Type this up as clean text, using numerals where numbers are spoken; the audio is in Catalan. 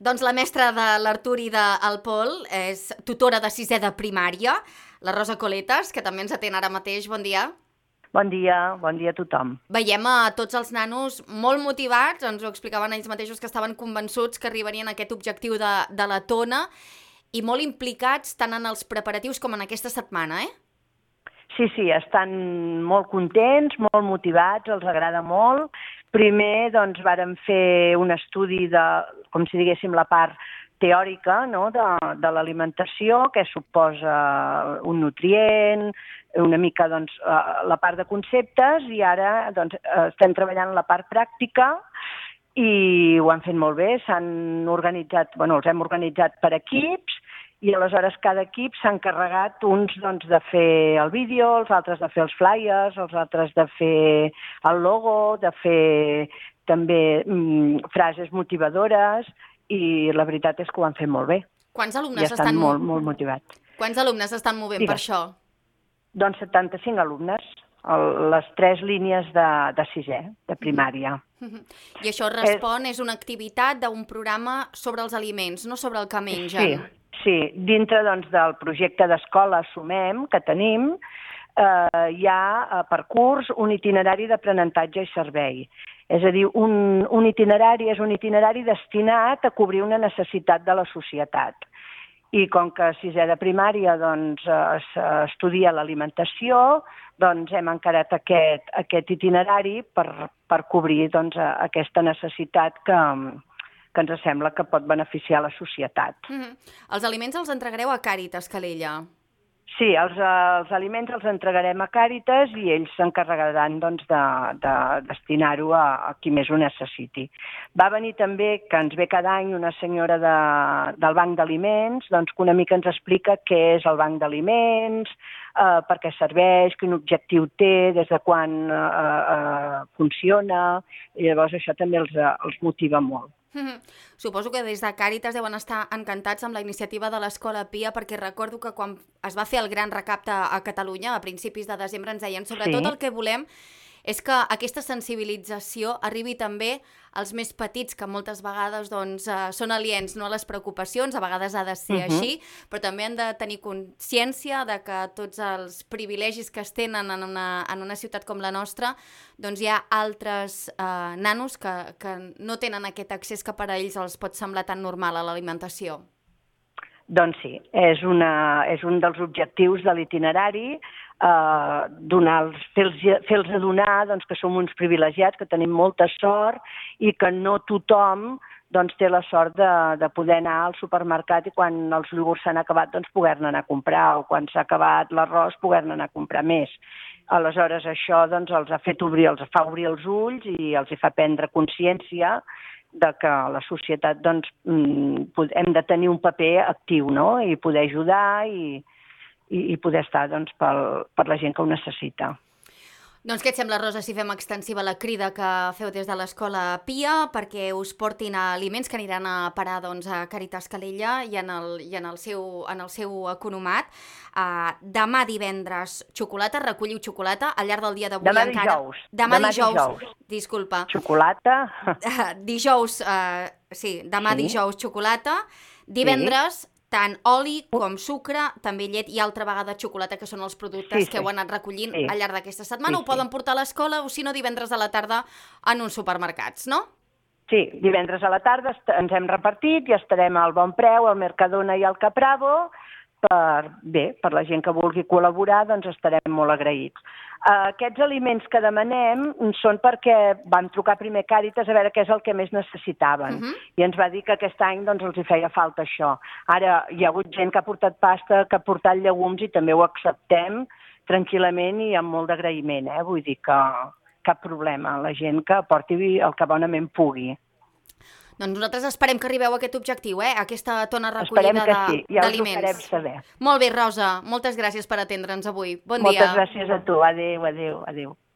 Doncs la mestra de l'Artur i del Pol és tutora de sisè de primària, la Rosa Coletas, que també ens atén ara mateix. Bon dia. Bon dia a tothom. Veiem a tots els nanos molt motivats, ens ho explicaven ells mateixos que estaven convençuts que arribarien a aquest objectiu de la tona i molt implicats tant en els preparatius com en aquesta setmana, Sí, estan molt contents, molt motivats, els agrada molt. Primer, doncs, vàrem fer un estudi de, com si diguéssim, la part teòrica, no?, de l'alimentació, que suposa un nutrient, una mica doncs, la part de conceptes, i ara doncs, estem treballant la part pràctica i ho han fet molt bé. S'han organitzat, els hem organitzat per equips, i aleshores cada equip s'ha encarregat uns doncs, de fer el vídeo, els altres de fer els flyers, els altres de fer el logo, de fer també frases motivadores, i la veritat és que ho han fet molt bé. Quants alumnes estan molt motivats. Quants alumnes estan movent per això? Doncs 75 alumnes, les 3 línies de sisè, de primària. I això respon, és una activitat d'un programa sobre els aliments, no sobre el que mengen. Sí, dintre doncs, del projecte d'escola Sumem que tenim, hi ha per curs un itinerari d'aprenentatge i servei. És a dir, un itinerari és un itinerari destinat a cobrir una necessitat de la societat. I com que a sisè de primària doncs, s'estudia l'alimentació, doncs hem encarat aquest itinerari per cobrir doncs, aquesta necessitat que ens sembla que pot beneficiar la societat. Els aliments els entregareu a Càritas Calella? Sí, els aliments els entregarem a Càritas i ells s'encarregaran doncs, de destinar-ho a qui més ho necessiti. Va venir també, que ens ve cada any, una senyora del Banc d'Aliments, doncs, que una mica ens explica què és el Banc d'Aliments, per què serveix, quin objectiu té, des de quan funciona, i llavors això també els motiva molt. Suposo que des de Càritas deuen estar encantats amb la iniciativa de l'Escola Pia, perquè recordo que quan es va fer el gran recapte a Catalunya, a principis de desembre, ens deien sobretot el que volem és que aquesta sensibilització arribi també als més petits, que moltes vegades doncs, són aliens no a les preocupacions, a vegades ha de ser així, però també han de tenir consciència de que tots els privilegis que es tenen en una ciutat com la nostra, doncs hi ha altres nanos que no tenen aquest accés que per a ells els pot semblar tan normal a l'alimentació. Doncs sí, és un dels objectius de l'itinerari, fer-los adonar doncs, que som uns privilegiats, que tenim molta sort i que no tothom doncs, té la sort de poder anar al supermercat i quan els iogurts s'han acabat doncs, poder-ne anar a comprar, o quan s'ha acabat l'arròs poder-ne anar a comprar més. Aleshores això doncs, els fa obrir els ulls i els fa prendre consciència de que a la societat doncs, hem de tenir un paper actiu, no?, i poder ajudar i poder estar doncs, per la gent que ho necessita. Doncs què et sembla, Rosa, si fem extensiva la crida que feu des de l'Escola Pia perquè us portin aliments que aniran a parar doncs, a Càritas Calella i en el seu economat? Demà divendres, xocolata, recolliu xocolata al llarg del dia d'avui encara. Demà dijous. Disculpa. Xocolata. Dijous, dijous xocolata. Divendres, tant oli com sucre, també llet i altra vegada xocolata, que són els productes que heu anat recollint al llarg d'aquesta setmana. Ho poden portar a l'escola o, si no, divendres a la tarda en uns supermercats, no? Sí, divendres a la tarda ens hem repartit i estarem al Bon Preu, al Mercadona i al Capravo. Per la gent que vulgui col·laborar, doncs estarem molt agraïts. Aquests aliments que demanem són perquè vam trucar primer Càritas a veure què és el que més necessitaven i ens va dir que aquest any doncs, els hi feia falta això. Ara hi ha hagut gent que ha portat pasta, que ha portat llegums i també ho acceptem tranquil·lament i amb molt d'agraïment. Vull dir que cap problema, la gent que porti el que bonament pugui. Doncs nosaltres esperem que arribeu a aquest objectiu, aquesta tona recollida d'aliments. Esperem que sí, ja us ho farem saber. Molt bé, Rosa, moltes gràcies per atendre'ns avui. Bon dia. Moltes gràcies a tu, adéu.